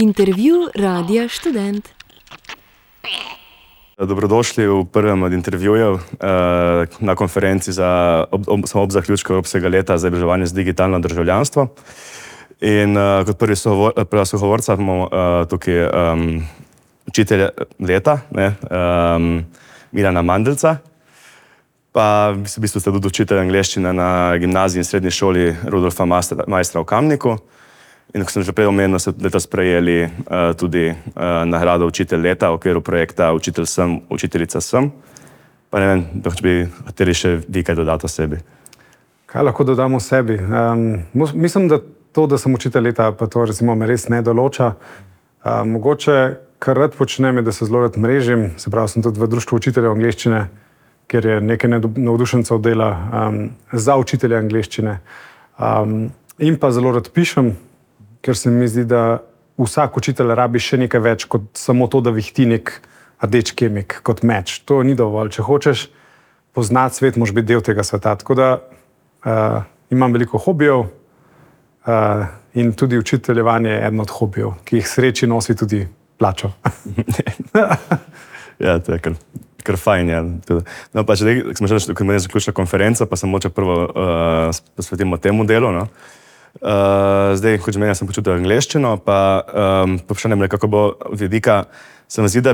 Intervju Radia Študent. Dobrodošli v prvem od intervjujev na konferenci ob zaključku Evropskega leta za izobraževanje z digitalno državljanstvo. In kot prva sogovorca imamo tukaj učitelja leta, Milana Mandelca. Pa v bistvu ste tudi učitelj angleščine na gimnaziji in srednji šoli Rudolfa Maistra v Kamniku. In ko sem že prej omenil, ste letos sprejeli tudi nagrado Učitelj leta v okviru projekta Učitelj sem, učiteljica sem. Pa ne vem, če bi hoteli še vi kaj dodati o sebi. Kaj lahko dodam o sebi? Mislim, da to, da sem učitelj leta, pa to recimo me res ne določa. Mogoče, kar rad počnem, je, da se zelo rad mrežim. Se pravi, sem tudi v društvu učiteljev angleščine, kjer je nekaj navdušencev dela za učitelje angleščine. In pa zelo rad pišem, ker se mi zdi, da vsak učitelj rabi še nekaj več kot samo to, da vihti nek rdeč kemik kot meč. To ni dovolj. Če hočeš poznati svet, moraš biti del tega sveta. Tako da imam veliko hobijev in tudi učiteljevanje je eden od hobijev, ki jih sreči nosi tudi plačo. Ja, to je kar fajn. Ja. No, pa če smo že zaključila konferenco, pa se moče prvo posvetimo temu delu. No? Zdaj, kot že meni, sem počutil angleščino, pa vprašanje nekako bo vidika, se mi zdi, da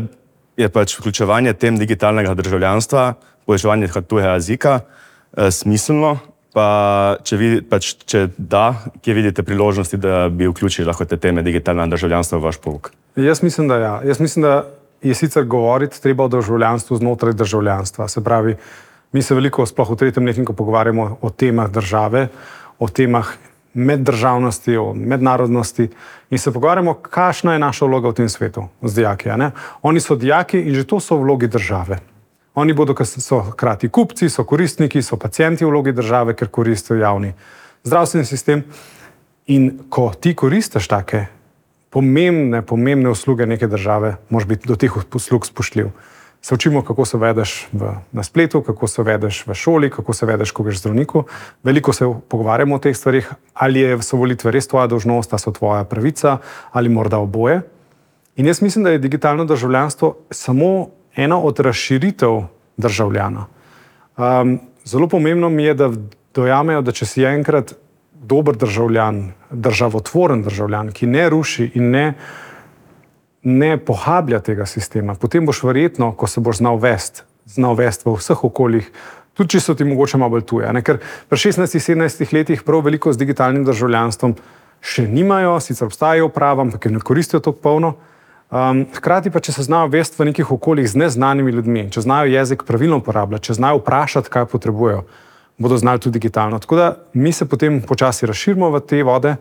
je pač vključevanje tem digitalnega državljanstva, poučevanje tujega jezika smiselno, pa če da, kje vidite priložnosti, da bi vključili lahko te teme digitalnega državljanstva v vaš pouk? Jaz mislim, da ja. Jaz mislim, da je sicer govoriti treba o državljanstvu znotraj državljanstva. Se pravi, mi se veliko, sploh v tretjem letniku, pogovarjamo o temah države, o temah meddržavnosti, o mednarodnosti in se pogovarjamo, kakšna je naša vloga v tem svetu z dijaki. Oni so dijaki in že to so vlogi države. Oni so hkrati kupci, so koristniki, so pacienti v vlogi države, ker koristijo javni zdravstveni sistem. In ko ti koristiš take pomembne usluge neke države, moraš biti do teh uslug spoštljiv. Se učimo, kako se vedeš na spletu, kako se vedeš v šoli, kako se vedeš, ko greš zdravniku. Veliko se pogovarjamo o teh stvarih, ali so volitve res tvoja dolžnost, ali so tvoja pravica, ali morda oboje. In jaz mislim, da je digitalno državljanstvo samo ena od razširitev državljana. Zelo pomembno mi je, da dojamejo, da če si enkrat dober državljan, državotvoren državljan, ki ne ruši in ne pohablja tega sistema, potem boš verjetno, ko se boš znal vesti v vseh okoljih, tudi če so ti mogoče malo bolj tuje. Ker pri 16-17 letih prav veliko z digitalnim državljanstvom še nimajo, sicer obstajajo prava, ampak ne koristijo to polno. Hkrati pa, če se znajo vesti v nekih okoljih z neznanimi ljudmi, če znajo jezik pravilno uporabljati, če znajo vprašati, kaj potrebujejo, bodo znali tudi digitalno. Tako da mi se potem počasi razširimo v te vode,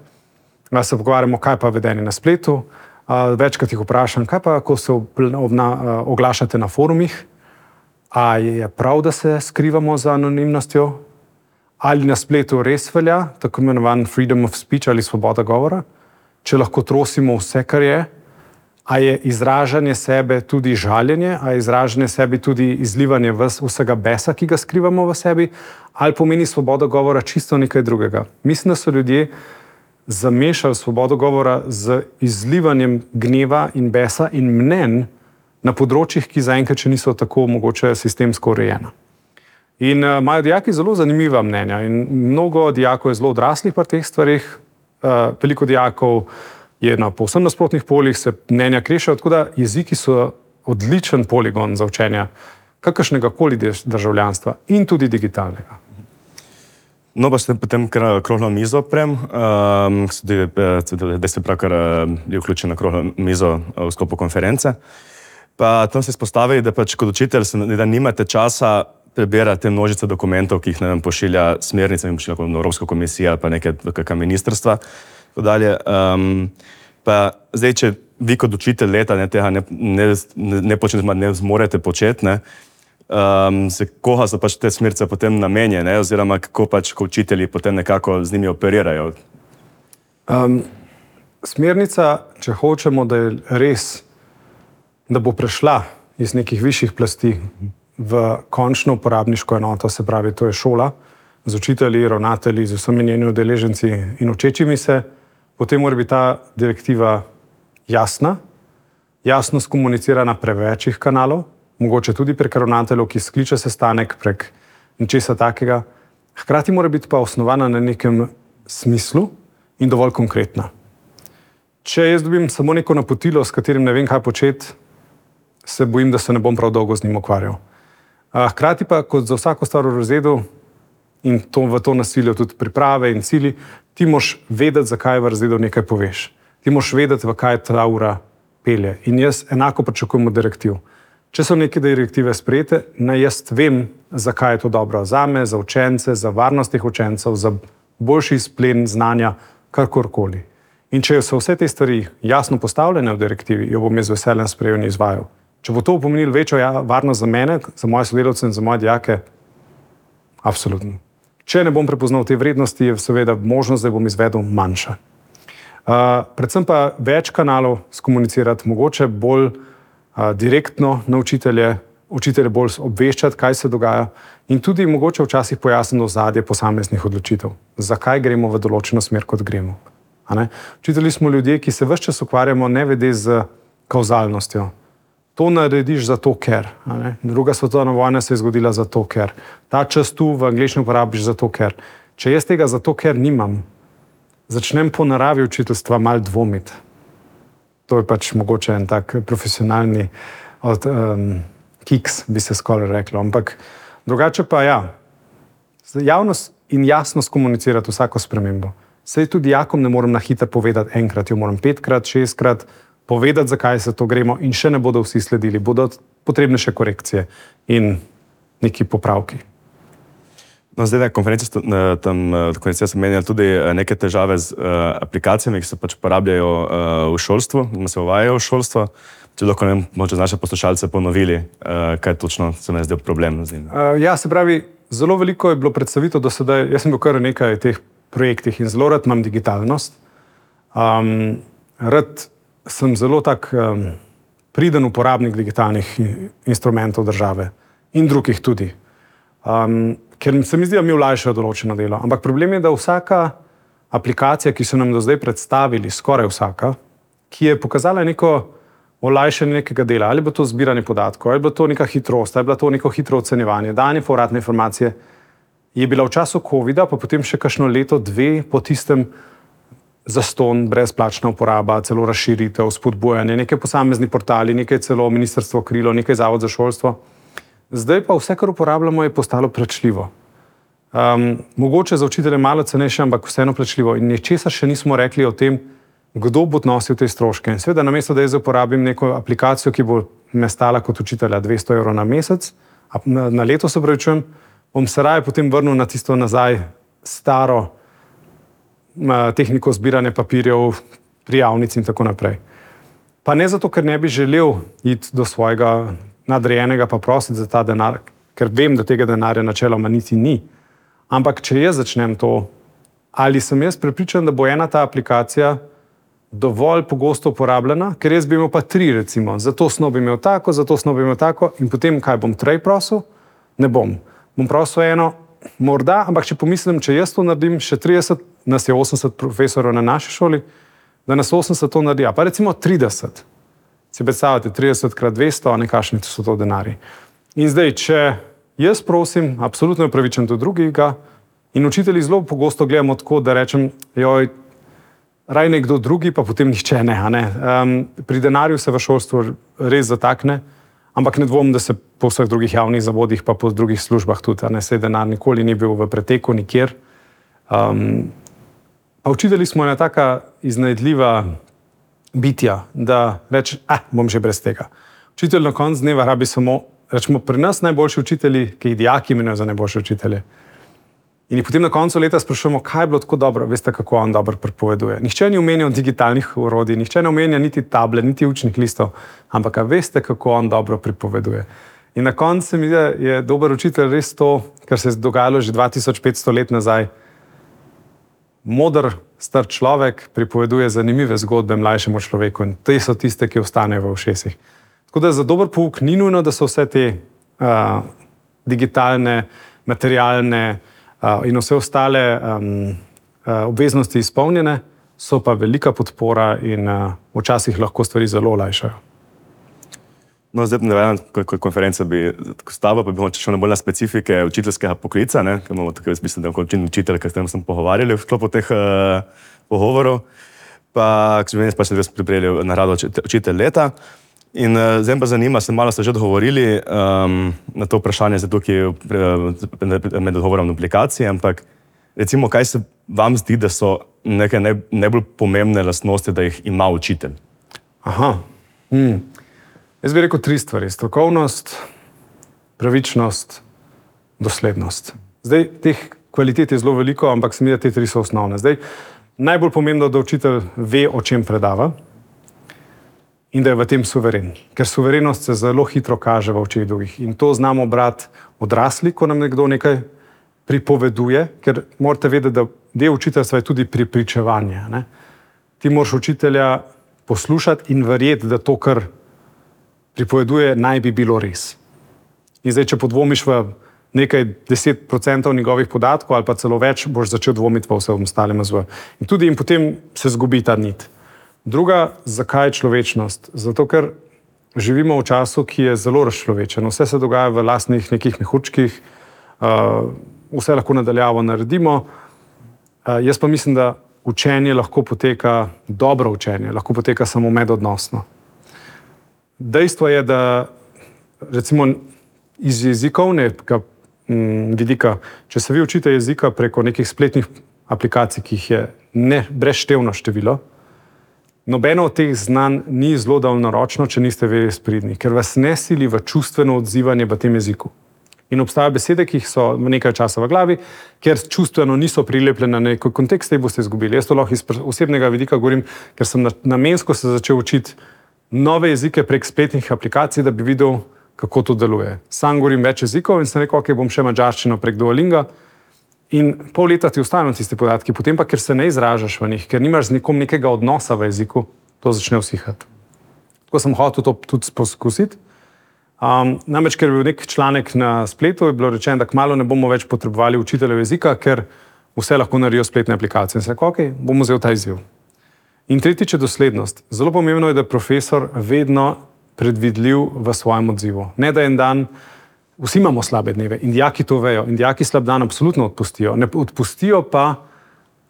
se pogovarjamo, kaj pa vedenje na spletu. Večkrat jih vprašam, kaj pa, ko se oglašate na forumih, a je prav, da se skrivamo za anonimnostjo, ali na spletu res velja, tako imenovan freedom of speech ali svoboda govora, če lahko trosimo vse, kar je, a je izražanje sebe tudi žaljenje, a je izražanje sebe tudi izlivanje vsega besa, ki ga skrivamo v sebi, ali pomeni svoboda govora čisto nekaj drugega. Mislim, da so ljudje zamešali svobodo govora z izlivanjem gneva in besa in mnenj na področjih, ki zaenkrat še niso tako mogoče sistemsko urejena. In imajo dijaki zelo zanimiva mnenja in mnogo dijakov je zelo odraslih pri teh stvarih, veliko dijakov je na povsem nasprotnih poljih, se mnenja krešajo, tako da jeziki so odličen poligon za učenje kakršnega koli državljanstva in tudi digitalnega. No, pa ste potem okroglo mizo prem, da ste pravkar je vključen na okroglo mizo v sklopu konference. Pa tam ste izpostavili, da pač kot učitelj da nimate časa prebirati te množice dokumentov, ki jih pošilja smernice, pošilja Evropska komisija ali pa neka ministrstva. Pa zdaj, če vi kot učitelj leta tega ne počnete, ne zmorete početi, koga so pač te smernice potem namenjene, oziroma kako pač učitelji potem nekako z njimi operirajo? Smernica, če hočemo, da je res, da bo prešla iz nekih višjih plasti v končno uporabniško enoto, se pravi, to je šola, z učitelji, ravnatelji, z vsemi njeni udeleženci in učečimi se, potem mora biti ta direktiva jasno skomunicirana prek večjih kanalov, mogoče tudi prek ravnateljev, ki skliče sestanek, prek ničesa takega. Hkrati mora biti pa osnovana na nekem smislu in dovolj konkretna. Če jaz dobim samo neko napotilo, s katerim ne vem, kaj početi, se bojim, da se ne bom prav dolgo z njim ukvarjal. Hkrati pa, kot za vsako stvar v razredu in v to nasilje tudi priprave in cilji, ti moraš vedeti, zakaj v razredu nekaj poveš. Ti moraš vedeti, v kaj ta ura pelje. In jaz enako pričakujem od direktiv. Če so neke direktive sprejete, naj jaz vem, zakaj je to dobro zame, za učence, za varnost teh učencev, za boljši izplen znanja, karkorkoli. In če so vse te stvari jasno postavljene v direktivi, jo bom jaz z veseljem sprejel in izvajal. Če bo to pomenilo večjo varnost za mene, za moje sodelavce in za moje dijake, absolutno. Če ne bom prepoznal te vrednosti, je seveda možnost, da bom izvedel manjša. Predvsem pa več kanalov skomunicirati, mogoče bolj direktno na učitelje bolj obveščati, kaj se dogaja in tudi mogoče včasih pojasniti ozadje posameznih odločitev. Zakaj gremo v določeno smer, kot gremo. Učitelji smo ljudje, ki se ves čas ukvarjamo nevede z kauzalnostjo. To narediš zato, ker. Druga svetovna vojna se je zgodila zato, ker. Ta čas tu v angleščini uporabiš zato, ker. Če jaz tega zato, ker nimam, začnem po naravi učiteljstva malo dvomiti. To je pač mogoče en tak profesionalni kiks, bi se skoraj reklo. Ampak drugače pa ja, javnost in jasno skomunicirati vsako spremembo. Saj tudi dijakom ne morem na hitro povedati enkrat, jo moram 5-krat, 6-krat povedati, zakaj se to gremo in še ne bodo vsi sledili. Bodo potrebne še korekcije in neki popravki. No, zdaj na konferenci so menjali tudi neke težave z aplikacijami, ki se pač uporabljajo v šolstvu, in se uvajajo v šolstvo. Če lahko možno naše poslušalce ponovili, kaj točno se mi je zdel problem z njim. Ja, se pravi, zelo veliko je bilo predstavitev do sedaj. Jaz sem bil kar nekaj teh projektih in zelo rad imam digitalnost. Rad sem zelo tak priden uporabnik digitalnih instrumentov države in drugih tudi. Ker se mi zdi, da mi olajšajo določeno delo. Ampak problem je, da vsaka aplikacija, ki so nam do zdaj predstavili, skoraj vsaka, ki je pokazala neko olajšanje nekega dela, ali bo to zbiranje podatkov, ali bo to neka hitrost, ali bo to neko hitro ocenjevanje, danje povratne informacije, je bila v času covida, pa potem še kakšno leto, dve po tistem zaston, brezplačna uporaba, celo razširitev, spodbujanje, nekaj posamezni portali, nekaj celo ministrstvo krilo, nekaj zavod za šolstvo. Zdaj pa vse, kar uporabljamo, je postalo plačljivo. Mogoče za učitelje malo cenejše, ampak vseeno plačljivo. In ničesar še nismo rekli o tem, kdo bo nosil te stroške. In seveda, namesto da jaz uporabim neko aplikacijo, ki bo me stala kot učitelja 200 evrov na mesec, na leto se pravičujem, bom se raje potem vrnil na tisto nazaj staro tehniko zbiranja papirjev, prijavnic in tako naprej. Pa ne zato, ker ne bi želel iti do svojega nadrejenega pa prositi za ta denar, ker vem, da tega denarja načeloma niti ni. Ampak če jaz začnem to, ali sem jaz prepričan, da bo ena ta aplikacija dovolj pogosto uporabljena, ker jaz bi imel pa 3 recimo, zato snov bi imel tako, zato snov bi imel tako in potem kaj bom trej prosil? Ne bom. Bom prosil eno, morda, ampak če pomislim, če jaz to naredim, še 30, nas je 80 profesorov na naši šoli, da nas 80 to naredi, pa recimo 30. Si predstavljate, 30x200, nekakšni so to denarji. In zdaj, če jaz prosim, absolutno je upravičen do drugega in učitelji zelo pogosto gledamo tako, da rečem, joj, raj nekdo drugi, pa potem nihče ne. Pri denarju se v šolstvu res zatakne, ampak ne dvomim, da se po vseh drugih javnih zavodih, pa po drugih službah tudi, saj denar nikoli ni bil v preteku nikjer. Pa učitelji smo ena taka iznajdljiva bitja, da reče, bom že brez tega. Učitelj na koncu dneva rabi samo, rečemo, pri nas najboljši učitelji, ki jih dijaki imenujejo za najboljše učitelje. In potem na koncu leta sprašujemo, kaj je bilo tako dobro, veste, kako on dobro pripoveduje. Nihče ni omenjal digitalnih orodij, nihče ne omenja niti table, niti učnih listov, ampak veste, kako on dobro pripoveduje. In na koncu se mi zdi, da je dober učitelj res to, kar se je dogajalo že 2500 let nazaj. Moder, star človek pripoveduje zanimive zgodbe mlajšemu človeku in te so tiste, ki ostanejo v ušesih. Tako da za dober pouk ni nujno, da so vse te digitalne, materialne in vse ostale obveznosti izpolnjene, so pa velika podpora in včasih lahko stvari zelo olajšajo. No, zdaj ne vem, konferenca bi stava, pa bi mogoče šel bolj na specifike učiteljskega poklica, ne, ker imamo tako, jaz mislim, da učitelj, s tem sem pogovarjali v sklopu teh pogovorov, pa k življenju pa se res pripravili na rado učitelj leta. In zdaj pa zanima, malo ste že odgovorili na to vprašanje, zdaj tukaj med odgovorom na aplikacije, ampak recimo, kaj se vam zdi, da so neke najbolj pomembne lastnosti, da jih ima učitelj? Aha. Jaz bi rekel 3 stvari. Strokovnost, pravičnost, doslednost. Zdaj, teh kvalitet je zelo veliko, ampak se mi da te 3 so osnovne. Zdaj, najbolj pomembno, da učitelj ve, o čem predava in da je v tem suveren. Ker suverenost se zelo hitro kaže v očeh drugih. In to znamo brati odrasli, ko nam nekdo nekaj pripoveduje, ker morate vedeti, da del učiteljstva je tudi prepričevanje. Ne? Ti moraš učitelja poslušati in verjeti, da to, kar pripoveduje, naj bi bilo res. In zdaj, če podvomiš v nekaj 10% njegovih podatkov ali pa celo več, boš začel dvomiti v vse ostalim razvoju. In potem se zgubi ta nit. Druga, zakaj človečnost? Zato, ker živimo v času, ki je zelo razčlovečen. Vse se dogaja v lastnih nekih mehurčkih, vse lahko nadaljavo naredimo. Jaz pa mislim, da učenje lahko poteka, dobro učenje, lahko poteka samo medodnosno. Dejstvo je, da recimo iz jezikovnega vidika, če se vi učite jezika preko nekih spletnih aplikacij, ki jih je brezštevno število, nobeno od teh znanj ni zelo daljnoročno, če niste res pridni, ker vas ne sili v čustveno odzivanje v tem jeziku. In obstajajo besede, ki jih so nekaj časa v glavi, ker čustveno niso prilepljene na neki kontekst, jih boste izgubili. Jaz to lahko iz osebnega vidika govorim, ker sem namensko se začel učiti nove jezike prek spletnih aplikacij, da bi videl, kako to deluje. Sam govorim več jezikov in sem rekel, ok, bom še madžarščino prek Duolinga in pol leta ti ostanejo tiste podatki, potem pa, ker se ne izražaš v njih, ker nimaš z nikom nekega odnosa v jeziku, to začne usihati. Tako sem hotel to tudi poskusiti. Namreč, ker je bil nek članek na spletu, je bilo rečeno, da kmalu ne bomo več potrebovali učiteljev jezika, ker vse lahko naredijo spletne aplikacije. In sem rekel, ok, bomo vzel ta izziv. In tretjič je doslednost. Zelo pomembno je, da je profesor vedno predvidljiv v svojem odzivu. Ne, da en dan, vsi imamo slabe dneve in dijaki to vejo in dijaki slab dan absolutno odpustijo. Ne odpustijo pa,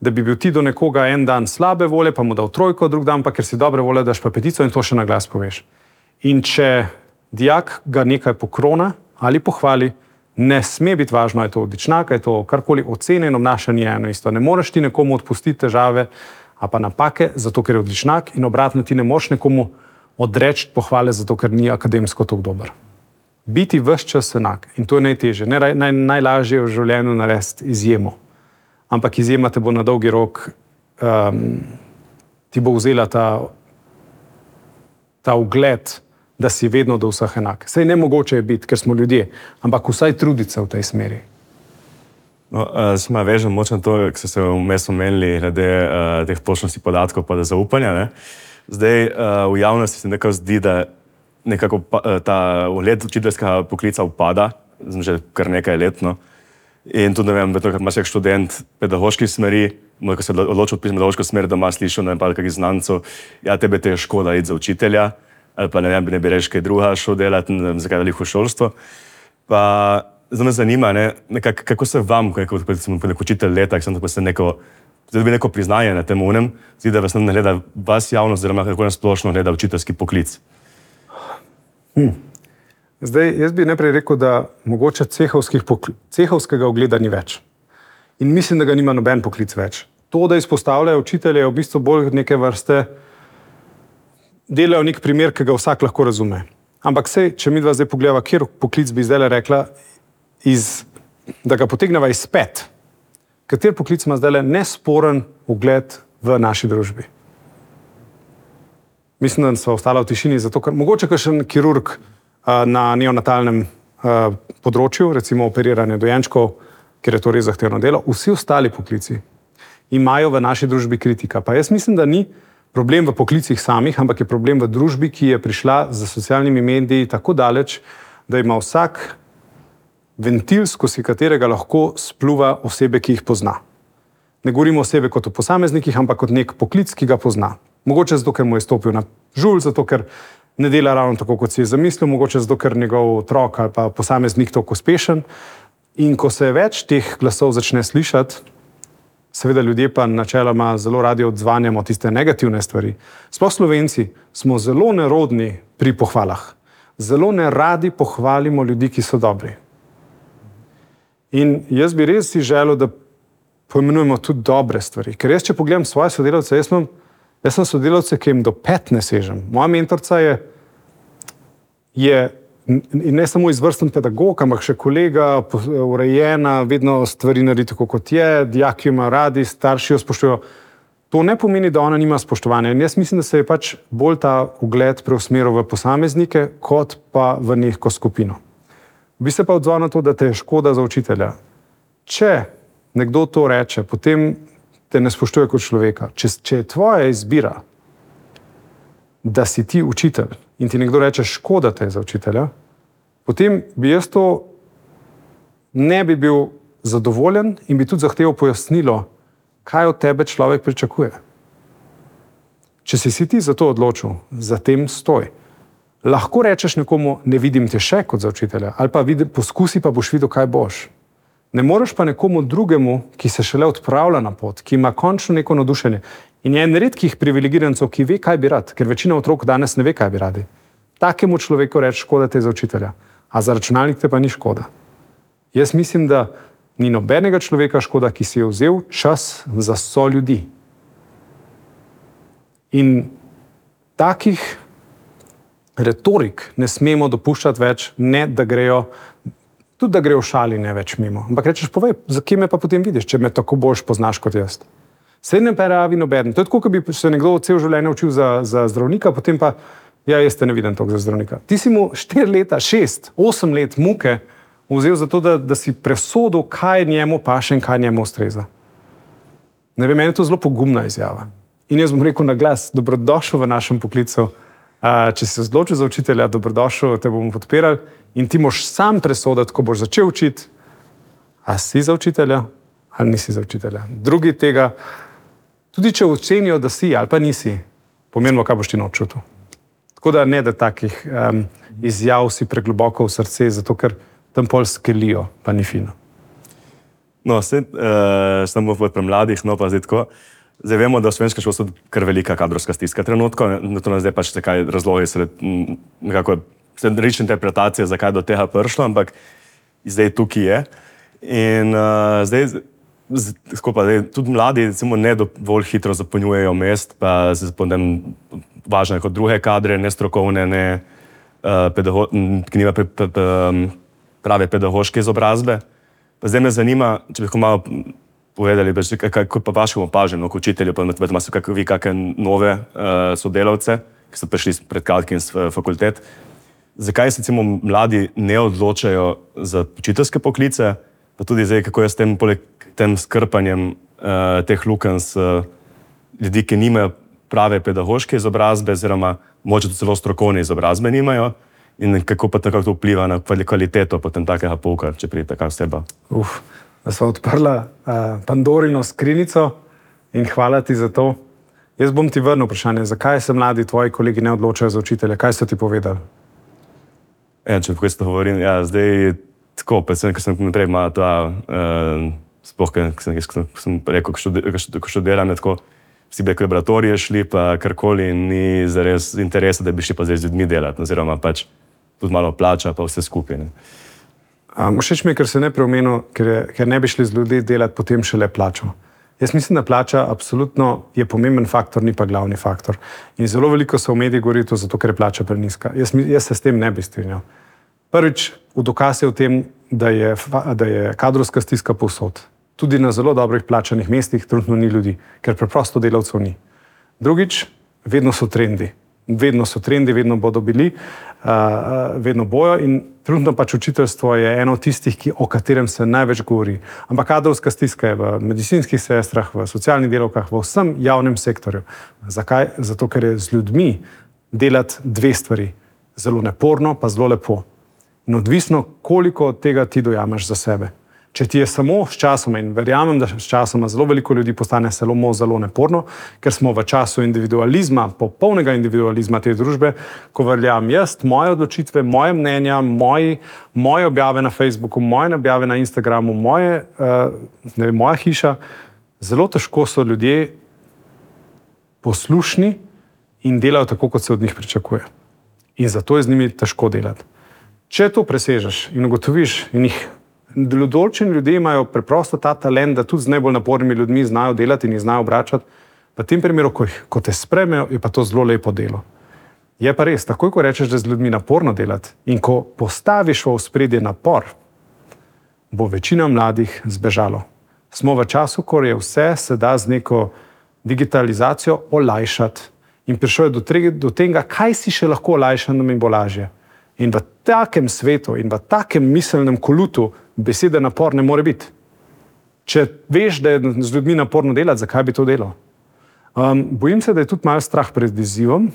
da bi bil ti do nekoga en dan slabe volje, pa mu dal 3, drug dan pa, ker si dobre volje, daš pa 5 in to še na glas poveš. In če dijak ga nekaj pokrona ali pohvali, ne sme biti važno, je to odličnjak, je to karkoli, ocenjeno obnašanje je eno isto. Ne moreš ti nekomu odpustiti težave ali pa napake, zato ker je odličnjak, in obratno ti ne moreš nekomu odreči pohvale, zato ker ni akademsko tako dober. Biti ves čas enak in to je najtežje. Najlažje je v življenju narediti izjemo. Ampak izjema te bo na dolgi rok, ti bo vzela ta ugled, da si vedno do vseh enak. Saj nemogoče je biti, ker smo ljudje, ampak vsaj truditi se v tej smeri. No, smo vežem močno to, ki ste se vmes omenili glede teh točnosti podatkov pa da zaupanja. Ne? Zdaj v javnosti se nekako zdi, da nekako ta ugled učiteljskega poklica upada, že kar nekaj let. No? In tudi ne vem, ker imaš nek študent pedagoških smeri, ko se odločil odpisati pedagoško smer, da ima slišal na nekaj znancev, ja, tebe te je škoda iti za učitelja, ali pa ne bi reči kaj druga šel delati, ne vem, zakaj veliko šolstvo. Pa zdaj me zanima, kako se vam, kot učitelj leta, da se dobi neko priznanje na tem unem, zdi, da vas ne gleda vas javnost, oziroma kako nas splošno gleda učiteljski poklic. Zdaj, jaz bi najprej rekel, da mogoče cehovskega ugleda ni več. In mislim, da ga nima noben poklic več. To, da izpostavljajo učitelje, je v bistvu bolj neke vrste, delajo nek primer, ki ga vsak lahko razume. Ampak sej, če mi dva zdaj pogledava, kjer poklic bi zdaj rekla, da ga potegneva iz pet, kater poklic ima zdaj nesporen ugled v naši družbi. Mislim, da so ostala v tišini, zato ker mogoče kakšen kirurg na neonatalnem področju, recimo operiranje dojenčkov, ker je to res zahtevno delo, vsi ostali poklici imajo v naši družbi kritika. Pa jaz mislim, da ni problem v poklicih samih, ampak je problem v družbi, ki je prišla z socialnimi mediji tako daleč, da ima vsak ventil, skozi katerega lahko spluva osebe, ki jih pozna. Ne govorimo o sebi kot o posameznikih, ampak kot nek poklic, ki ga pozna. Mogoče zato, ker mu je stopil na žulj, zato, ker ne dela ravno tako, kot si je zamislil, mogoče zato, ker njegov otrok ali pa posameznik tako uspešen. In ko se več teh glasov začne slišati, seveda ljudje pa načeloma zelo radi odzvanjamo tiste negativne stvari. Sploh Slovenci smo zelo nerodni pri pohvalah. Zelo neradi pohvalimo ljudi, ki so dobri. In jaz bi res si želel, da poimenujemo tudi dobre stvari. Ker jaz, če pogledam svoje sodelavce, jaz sem sodelavce, ki jim do 5 ne sežem. Moja mentorca je in ne samo izvrsten pedagog, ampak še kolega, urejena, vedno stvari naredi tako, kot je, dijaki ima radi, starši jo spoštujejo. To ne pomeni, da ona nima spoštovanja. In jaz mislim, da se je pač bolj ta ugled preusmeril v posameznike, kot pa v neko skupino. Bi se pa odzval na to, da te je škoda za učitelja. Če nekdo to reče, potem te ne spoštuje kot človeka. Če je tvoja izbira, da si ti učitelj in ti nekdo reče, škoda te je za učitelja, potem bi jaz to ne bi bil zadovoljen in bi tudi zahteval pojasnilo, kaj od tebe človek pričakuje. Če si ti za to odločil, za tem stoj. Lahko rečeš nekomu, ne vidim te še kot za učitelja, ali pa poskusi, pa boš videl, kaj boš. Ne moreš pa nekomu drugemu, ki se šele odpravlja na pot, ki ima končno neko navdušenje. In je en redkih privilegirancov, ki ve, kaj bi rad, ker večina otrok danes ne ve, kaj bi radi. Takemu človeku reči, škoda te za učitelja, a za računalnik te pa ni škoda. Jaz mislim, da ni nobenega človeka škoda, ki si je vzel čas za soljudi. In takih retorik ne smemo dopuščati več, ne da grejo, tudi da grejo v šali ne več mimo. Ampak rečeš, povej, za kje me pa potem vidiš, če me tako boljš poznaš kot jaz. Srednjem pa rabi nobeden. To je tako, kot bi se nekdo cel življenje učil za zdravnika, potem pa, ja, jaz te ne vidim toliko za zdravnika. Ti si mu 4 leta, 6, 8 let muke vzel za to, da si presodil, kaj njemu paše in kaj njemu ustreza. Ne vem, meni je to zelo pogumna izjava. In jaz bom rekel na glas, dobrodošel v našem poklicu. Če si se odločil za učitelja, dobrodošel, te bomo podpirali in ti moš sam presoditi, ko boš začel učiti, a si za učitelja ali nisi za učitelja. Drugi tega, tudi če ocenijo, da si ali pa nisi, pomenilo, kaj boš ti noč čutil. Tako da ne, da takih izjav si pregloboko v srce, zato ker tam pol skelijo, pa ni fino. No, samo pri mladih, no pa zdaj tako. Zdaj vemo, da v slovenskem šolstvu kar velika kadrovska stiska trenutko, to nas zdaj pač nekaj razlogi, nekako različne interpretacije, zakaj do tega prišlo, ampak zdaj tukaj je. In zdaj tudi mladi ne dovolj hitro zapolnjujejo mest, pa važno je kot druge kadre, nestrokovne, ki nima prave pedagoške izobrazbe. Pa zdaj me zanima, če bi malo povedali, kako pa vašem opažam, kot učitelju, pa imate vi kakšne nove sodelavce, ki so prišli pred kratkim z fakultet. Zakaj se mladi ne odločajo za učiteljske poklice, pa tudi zdaj, kako je s tem skrpanjem teh lukenj s ljudi, ki nimajo prave pedagoške izobrazbe, oziroma mogoče celo strokovne izobrazbe nimajo, in kako pa tako to vpliva na kvaliteto potem takega pouka, če pride taka oseba. Da sva odprla Pandorino skrinjico in hvala ti za to. Jaz bom ti vrnil vprašanje, zakaj se mladi tvoji kolegi ne odločajo za učitelje? Kaj so ti povedali? Če tako isto govorim, ja, zdaj tako, predvsem, ker sem naprej imel ta, sploh, ker sem rekel, ko študiram, tako, vsi bi laboratorije šli, pa karkoli, ni zares interesa, da bi šli pa zdaj z ljudmi delati, oziroma pač tudi malo plača, pa vse skupaj. Všeč mi je, ker se ne preomenil, ker ne bi šli z ljudi delati, potem šele plačo. Jaz mislim, da plača absolutno je pomemben faktor, ni pa glavni faktor. In zelo veliko se v medijih govori to zato, ker je plača preniska. Jaz se s tem ne bi strinjal. Prvič, v dokaz je v tem, da je kadrovska stiska povsod. Tudi na zelo dobrih plačanih mestih trenutno ni ljudi, ker preprosto delavcev ni. Drugič, vedno so trendi. Vedno bodo bili, vedno bojo in trenutno pač učiteljstvo je eno od tistih, o katerem se največ govori. Ampak kadrovska stiska je v medicinskih sestrah, v socialnih delavkah, v vsem javnem sektorju. Zakaj? Zato, ker je z ljudmi delati 2 stvari. Zelo naporno, pa zelo lepo. In odvisno, koliko od tega ti dojameš za sebe. Če ti je samo s časoma, in verjamem, da s časoma zelo veliko ljudi postane zelo neporno, ker smo v času individualizma, popolnega individualizma te družbe, ko veljam jaz, moje odločitve, moje mnenja, moje objave na Facebooku, moje objave na Instagramu, moja hiša, zelo težko so ljudje poslušni in delajo tako, kot se od njih pričakuje. In zato je z njimi težko delati. Če to presežeš in ugotoviš, in določeni ljudje imajo preprosto ta talent, da tudi z najbolj napornimi ljudmi znajo delati in jih znajo obračati, v tem primeru, ko te sprejmejo, je pa to zelo lepo delo. Je pa res, takoj ko rečeš, da je z ljudmi naporno delati in ko postaviš v ospredje napor, bo večina mladih zbežalo. Smo v času, ko je vse se da z neko digitalizacijo olajšati in prišel je do tega, kaj si še lahko olajša, da mi bo lažje. In v takem svetu in v takem miselnem kolutu besede napor ne more biti. Če veš, da je z ljudmi naporno delati, zakaj bi to delal? Bojim se, da je tudi malo strah pred izzivom.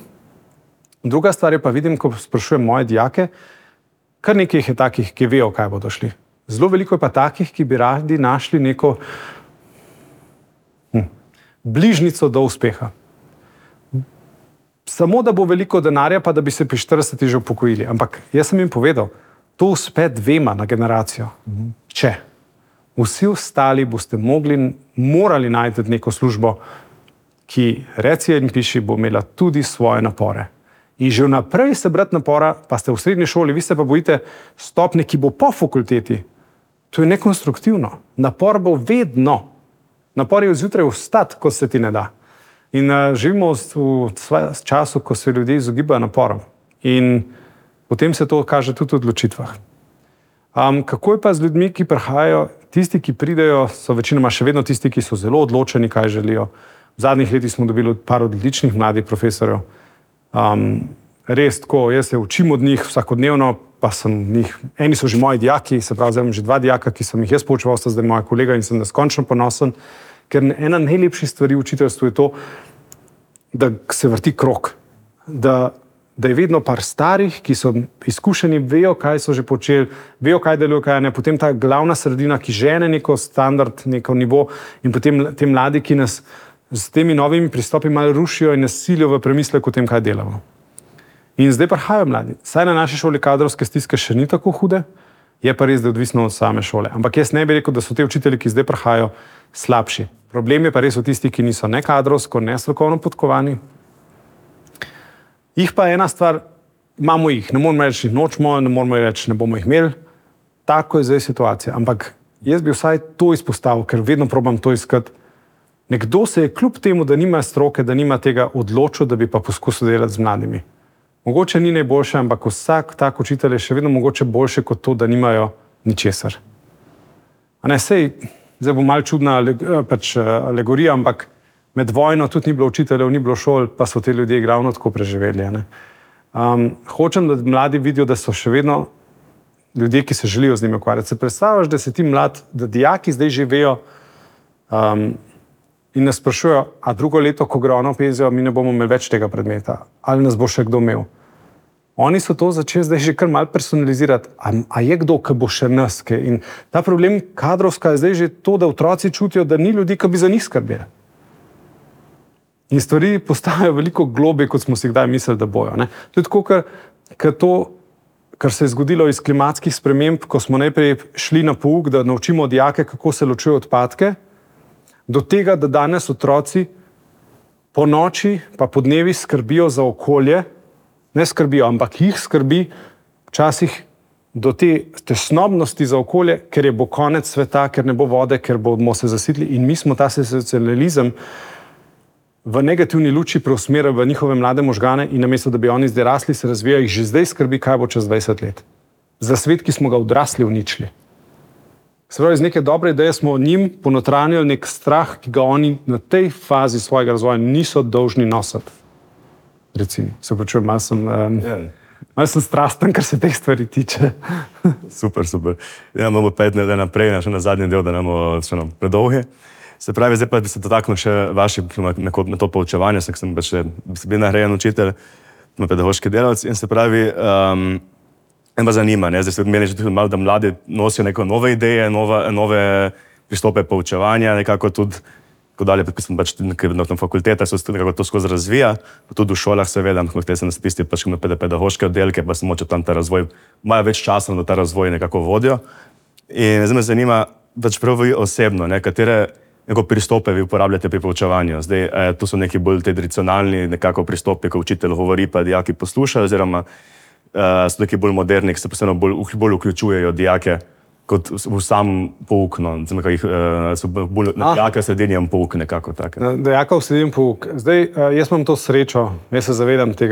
Druga stvar je pa vidim, ko sprašujem moje dijake, kar nekaj jih je takih, ki vejo, kaj bodo šli. Zelo veliko je pa takih, ki bi radi našli neko bližnico do uspeha. Samo, da bo veliko denarja, pa da bi se pri 40 že upokojili. Ampak jaz sem jim povedal, to uspe 2 na generacijo. Če vsi ostali boste morali najti neko službo, ki reci in piši, bo imela tudi svoje napore. In že vnaprej se brati napora, pa ste v srednji šoli, vi se pa bojite stopnje, ki bo po fakulteti. To je nekonstruktivno. Napor bo vedno. Napor je zjutraj vstati, ko se ti ne da. In živimo v času, ko se ljudje izogibajo naporom. In potem se to kaže tudi v odločitvah. Kako je pa z ljudmi, ki prihajajo? Tisti, ki pridejo, so večinoma še vedno tisti, ki so zelo odločeni, kaj želijo. V zadnjih letih smo dobili par odličnih mladih profesorjev. Res tako, jaz se učim od njih vsakodnevno, pa sem njih, eni so že moji dijaki, se pravi, zdaj imam že 2 dijaka, ki sem jih jaz poučeval, sta zdaj moja kolega in sem neskončno ponosen, ker ena najlepših stvari v učiteljstvu je to, da se vrti krog, da je vedno par starih, ki so izkušeni, vejo, kaj so že počeli, vejo, kaj delujo, kaj ne, potem ta glavna sredina, ki žene neko standard, neko nivo in potem te mladi, ki nas s temi novimi pristopi malo rušijo in nas silijo v premislek o tem, kaj delamo. In zdaj prihajajo mladi. Saj na naši šoli kadrovske stiske še ni tako hude, je pa res, da je odvisno od same šole. Ampak jaz ne bi rekel, da so te učitelji, ki zdaj prihajajo, slabši. Problem je pa res v tistih, ki niso ne kadrovsko, ne strokovno podkovani. Jih pa ena stvar, imamo jih, ne moramo reči, nočemo, ne moramo reči, ne bomo jih imeli. Tako je zdaj situacija. Ampak jaz bi vsaj to izpostavil, ker vedno probam to iskati. Nekdo se je kljub temu, da nima stroke, da nima tega, odločil, da bi pa poskusil delati z mladimi. Mogoče ni najboljše, ampak vsak tak učitelj je še vedno mogoče boljše kot to, da nimajo ničesar. A ne, sej, zdaj bo malo čudna alegorija, ampak med vojno tudi ni bilo učiteljev, ni bilo šol, pa so te ljudje ravno tako preživeli. Hočem, da mladi vidijo, da so še vedno ljudje, ki se želijo z njimi ukvarjati. Se predstavljaš, da si ti mlad, da dijaki zdaj živejo in nas sprašujejo, a drugo leto, ko gre ono penzijo, mi ne bomo imeli več tega predmeta. Ali nas bo še kdo imel? Oni so to začeli zdaj že kar malo personalizirati. A je kdo, ki bo še nas? In ta problem kadrovska je zdaj že to, da otroci čutijo, da ni ljudi, ki bi za njih skrbeli. In stvari postajajo veliko globje, kot smo si kdaj mislili, da bojo. To je tako, kar se je zgodilo iz klimatskih sprememb, ko smo najprej šli na pouk, da naučimo dijake, kako se ločujejo odpadke, do tega, da danes otroci po noči pa po dnevi skrbijo za okolje, ne skrbijo, ampak jih skrbi včasih do te tesnobnosti za okolje, ker je bo konec sveta, ker ne bo vode, ker bomo se zasitili in mi smo ta senzacionalizem v negativni luči preusmerili v njihove mlade možgane in namesto, da bi oni zdaj rasli, se razvijajo, jih že zdaj skrbi, kaj bo čez 20 let. Za svet, ki smo ga odrasli uničili. Se pravi, iz neke dobre ideje smo njim ponotranjili nek strah, ki ga oni na tej fazi svojega razvoja niso dolžni nositi. Recimo, se počujem, malo sem strasten, kar se teh stvari tiče. Super. Ja, imamo 5 let naprej, še na zadnji del, da nam še predolge. Se pravi, zdaj pa bi se dotaknil še vaši na to poučevanje, sem bil nagrajen učitelj, pedagoški delavec in se pravi, me zanima, ne? Zdaj se meni že tudi malo, da mladi nosijo neko nove ideje, nove pristope poučevanja, nekako tudi, ko dalje, pač na fakultetah se nekako to skozi razvija, pa tudi v šolah seveda, te se na tisti pač pedagoške oddelke, pa se moče tam ta razvoj, imajo več časa, da ta razvoj nekako vodijo. In zdaj me zanima, pač prav vi osebno, ne, katere neko pristope vi uporabljate pri poučevanju. Zdaj, tu so neki bolj tradicionalni nekako pristopi, ko učitelj govori, pa dijaki poslušajo, oziroma so neki bolj moderni, ki se posebno bolj vključujejo dijake kot v sam pouk, no, so bolj dijake v srednjem pouk nekako take. Dijaka v srednjem pouk. Zdaj, jaz imam to srečo, jaz se zavedam te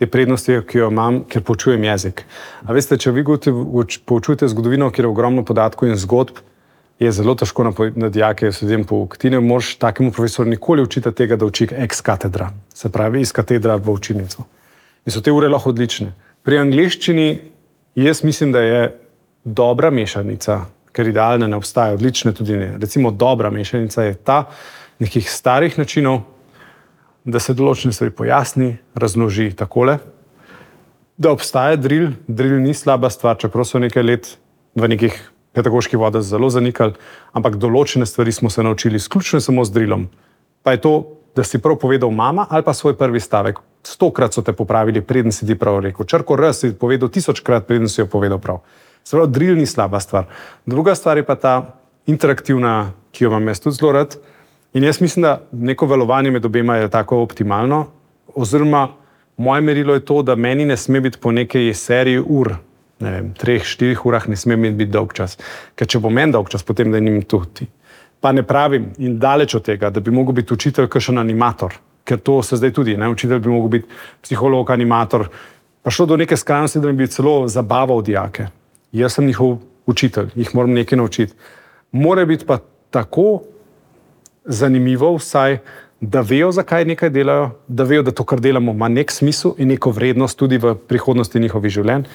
prednosti, ki jo imam, ker poučujem jezik. A veste, če vi poučujete zgodovino, kjer je ogromno podatkov in zgodb, je zelo težko na dijake v srednjem pouk. Ti ne moreš takemu profesorju nikoli učiti tega, da uči ex katedra, se pravi iz katedra v učilnico. In so te ure lahko odlične. Pri angleščini jaz mislim, da je dobra mešanica, ker idealne ne obstaja, odlične tudi ne. Recimo dobra mešanica je ta nekih starih načinov, da se določene stvari pojasni, razloži takole, da obstaja drill ni slaba stvar, čeprav so nekaj let v nekih pedagoških vodah zelo zanikali, ampak določene stvari smo se naučili izključno samo z drillom. Pa je to, da si prav povedal mama ali pa svoj prvi stavek. 100-krat so te popravili, preden si ti prav rekel. Črko R si povedal 1000-krat, preden si jo povedal prav. Se pravi, drill ni slaba stvar. Druga stvar je pa ta interaktivna, ki jo imam jaz tudi zelo rad. In jaz mislim, da neko valovanje med obema je tako optimalno, oziroma moje merilo je to, da meni ne sme biti po nekaj seriji ur, ne vem, 3-4 urah ne sme biti dolg čas. Ker če bo meni dolg čas, potem da njim tudi. Pa ne pravim in daleč od tega, da bi mogel biti učitelj kakšen animator, ker to se zdaj tudi, ne, učitelj bi mogel biti psiholog, animator, pa šlo do neke skrajnosti, da bi celo zabaval dijake. Jaz sem njihov učitelj, jih moram nekaj naučiti. Mora biti pa tako zanimivo vsaj, da vejo, zakaj nekaj delajo, da vejo, da to, kar delamo, ima nek smisel in neko vrednost tudi v prihodnosti njihovih življenj.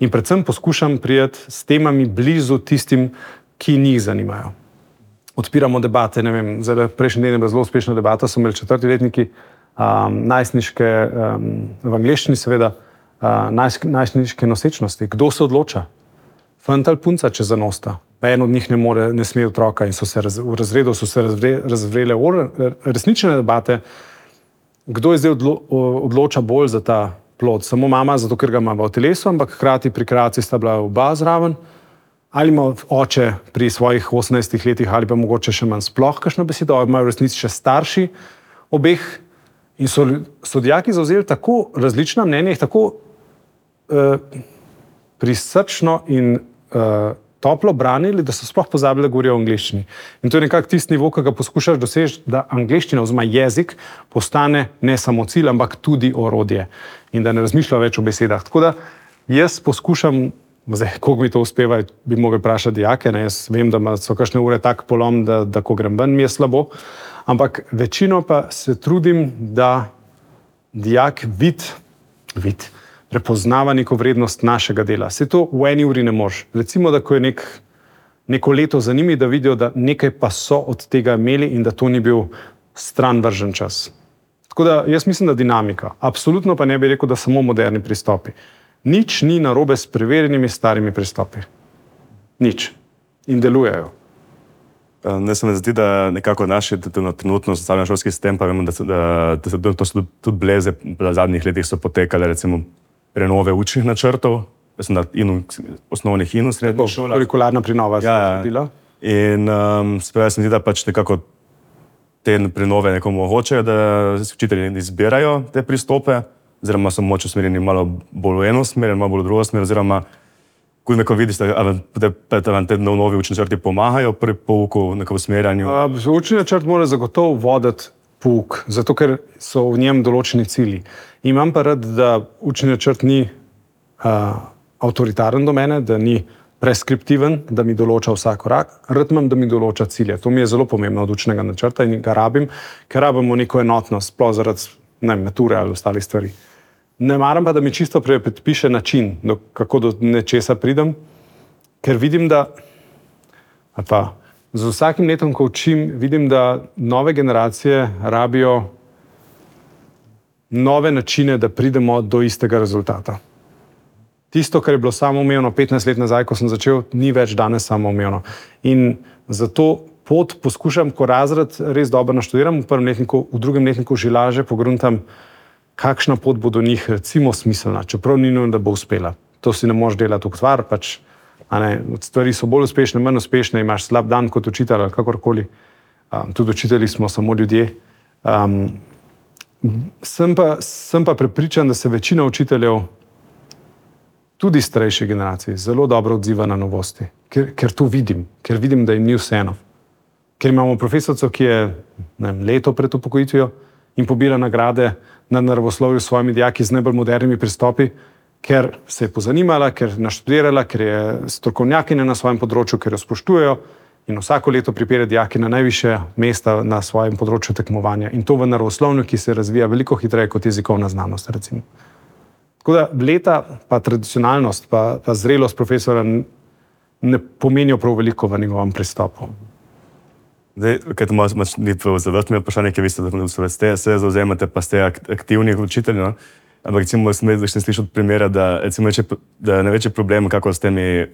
In predvsem poskušam priti s temami blizu tistim, ki njih zanimajo. Odpiramo debate, ne vem, prejšnji teden je bila zelo uspešna debata, so imeli 4. letniki, najstniške, v angleščini seveda, najstniške nosečnosti. Kdo se odloča? Fant ali punca, če zanosta. Pa en od njih ne sme otroka in v razredu so se razvrele resnične debate, kdo je zdaj odloča bolj za ta plod. Samo mama, zato ker ga ima v telesu, ampak hkrati pri kreaciji sta bila oba zraven. Ali ima oče pri svojih 18 letih, ali pa mogoče še manj sploh kakšno besedo, ali imajo v resnici še starši obeh. In so dijaki zavzeli tako različna mnenja, tako prisrčno in toplo branili, da so sploh pozabili, da govorijo o angleščini. In to je nekako tisti nivo, ki ga poskušaš doseči, da angleščina oziroma jezik postane ne samo cilj, ampak tudi orodje. In da ne razmišlja več o besedah. Tako da jaz poskušam, zdaj, koliko mi to uspeva, bi mogli vprašati dijake, ne? Jaz vem, da so kakšne ure tak polom, da ko grem ven, mi je slabo, ampak večino pa se trudim, da dijak prepoznava neko vrednost našega dela. Se to v eni uri ne moreš. Recimo, da ko je neko leto za njimi, da vidijo, da nekaj pa so od tega imeli in da to ni bil stran vržen čas. Tako da jaz mislim, da dinamika. Absolutno pa ne bi rekel, da samo moderni pristopi. Nič ni narobe s preverjenimi starimi pristopi. Nič. In delujejo. Ne se mi zdi, da nekako naši trenutno socialno šolski sistem, pa vemo, da to so tudi bleze v zadnjih letih so potekale, recimo prenove učnih načrtov, mislim, da osnovnih in v srednjih šolah. Kurikularna prenova se je zgodila. In spravo se mi zdi, da pač nekako te prenove nekomu omogočajo, da učitelji izbirajo te pristope, oziroma so moč usmerjeni malo bolj v eno smer, malo bolj v drugo smer, oziroma ko neko vidiš, da vam te novi učni načrti pomagajo pri pouku, nekom usmerjanju. Učni načrt mora zagotovo voditi pouk, zato ker so v njem določeni cilji. Imam pa rad, da učni načrt ni avtoritaren do mene, da ni preskriptiven, da mi določa vsak korak. Rad imam, da mi določa cilje. To mi je zelo pomembno od učnega načrta in ga rabim, ker rabimo neko enotnost, sploh zaradi mature ali ostalih stvari. Ne maram pa, da mi čisto predpiše način, kako do nečesa pridem, ker vidim, da z vsakim letom, ko učim, vidim, da nove generacije rabijo nove načine, da pridemo do istega rezultata. Tisto, kar je bilo samoumevno 15 let nazaj, ko sem začel, ni več danes samoumevno. In zato pot poskušam, ko razred res dobro naštudiram, v prvem letniku, v drugem letniku že lažje pogruntam, kakšna pot bo do njih recimo smiselna, čeprav ni nujno, da bo uspela. To si ne moreš delati ukvar, pač, stvari so bolj uspešne, manj uspešne, imaš slab dan kot učitelj ali kakorkoli. Tudi učitelji smo samo ljudje. Sem pa prepričan, da se večina učiteljev, tudi starejše generacije, zelo dobro odziva na novosti, ker to vidim, ker vidim, da jim ni vseeno. Ker imamo profesorico, ki je leto pred upokojitvijo in pobira nagrade na naravoslovju s svojimi dijaki z najbolj modernimi pristopi, ker se je pozanimala, ker je naštudirala, ker je strokovnjakinja na svojem področju, ker jo spoštujejo in vsako leto pripelje dijaki na najvišje mesta na svojem področju tekmovanja. In to v naravoslovju, ki se razvija veliko hitreje kot jezikovna znanost, recimo. Tako da leta, pa tradicionalnost, pa zrelost profesora ne pomenijo prav veliko v njegovem pristopu. Zdaj, kaj to ni zavrstno vprašanje, ki vi se zauzemate, pa ste aktivni učitelji, no? Ampak recimo sem slišal od primera, da največji problem, kako s temi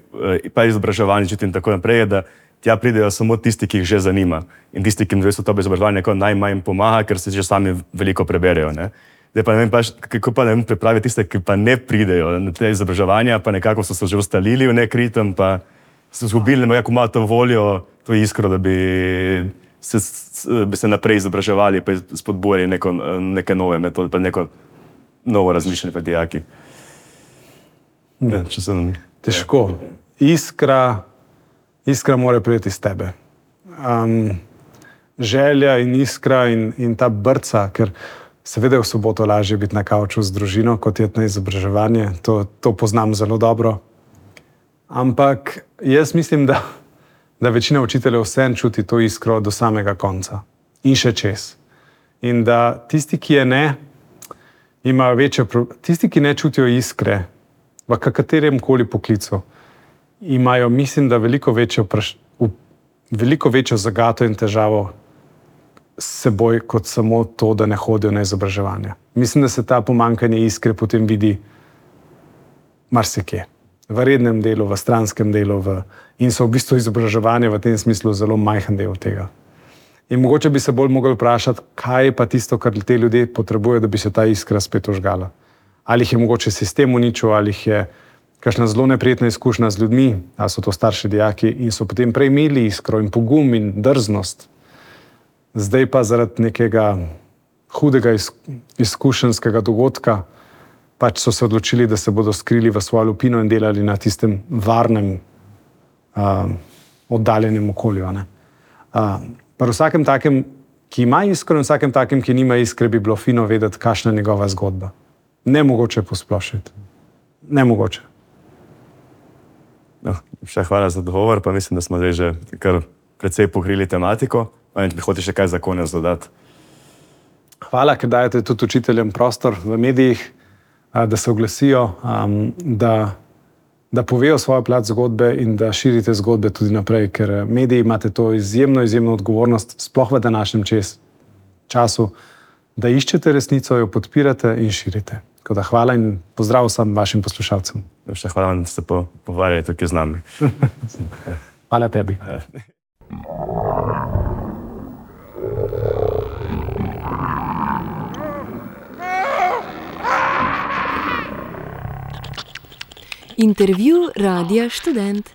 pa izobraževanji in tako naprej, je, da tja pridejo samo tisti, ki jih že zanima. In tisti, ki jim to izobraževanje najmanj pomaga, ker se že sami veliko preberejo, ne? Zdaj pa ne vem, kako pa pripraviti tiste, ki pa ne pridejo na te izobraževanja, pa nekako so se že ustalili v nek ritem, pa so izgubili nekako malo to voljo, to iskro, da bi se naprej izobraževali, pa spodbujali neke nove metode, pa neko novo razmišljanje pri dijaki. Težko. Iskra mora priti iz tebe. Želja in iskra in ta brca, ker seveda je v soboto lažje biti na kavču z družino, kot je na izobraževanje. To poznam zelo dobro. Ampak jaz mislim, da večina učiteljev vseeno čuti to iskro do samega konca. In še čez. In da tisti, ki je ne, imajo večje tisti, ki ne čutijo iskre v katerem koli poklicu, imajo, mislim, da veliko večjo zagato in težavo s seboj, kot samo to, da ne hodijo na izobraževanje. Mislim, da se ta pomanjkanje iskre potem vidi marsikje. V rednem delu, v stranskem delu in so v bistvu izobraževanje v tem smislu zelo majhen del tega. In mogoče bi se bolj mogli vprašati, kaj je pa tisto, kar te ljudje potrebujejo, da bi se ta iskra spet ožgala. Ali jih je mogoče sistem uničil, ali jih je kakšna zelo neprijetna izkušnja z ljudmi, ali so to starši dijaki in so potem prej imeli iskro in pogum in drznost. Zdaj pa zaradi nekega hudega izkušenjskega dogodka pač so se odločili, da se bodo skrili v svojo lupino in delali na tistem varnem, oddaljenem okolju. Pri vsakem takem, ki ima iskro, in vsakem takem, ki nima iskre, bi bilo fino vedeti, kakšna je njegova zgodba. Nemogoče posplošiti. Nemogoče. No, še hvala za odgovor, pa mislim, da smo zdaj že kar precej pokrili tematiko. Hočeš še kaj za konec dodati? Hvala, ker dajete tudi učiteljem prostor v medijih, da se oglasijo, da povejo svojo plat zgodbe in da širite zgodbe tudi naprej, ker mediji imate to izjemno odgovornost, sploh v današnjem času, da iščete resnico, jo podpirate in širite. Tako da hvala in pozdrav vsem vašim poslušalcem. Še hvala vam, da ste pogovarjali tukaj z nami. Hvala tebi. Intervju Radia Študent.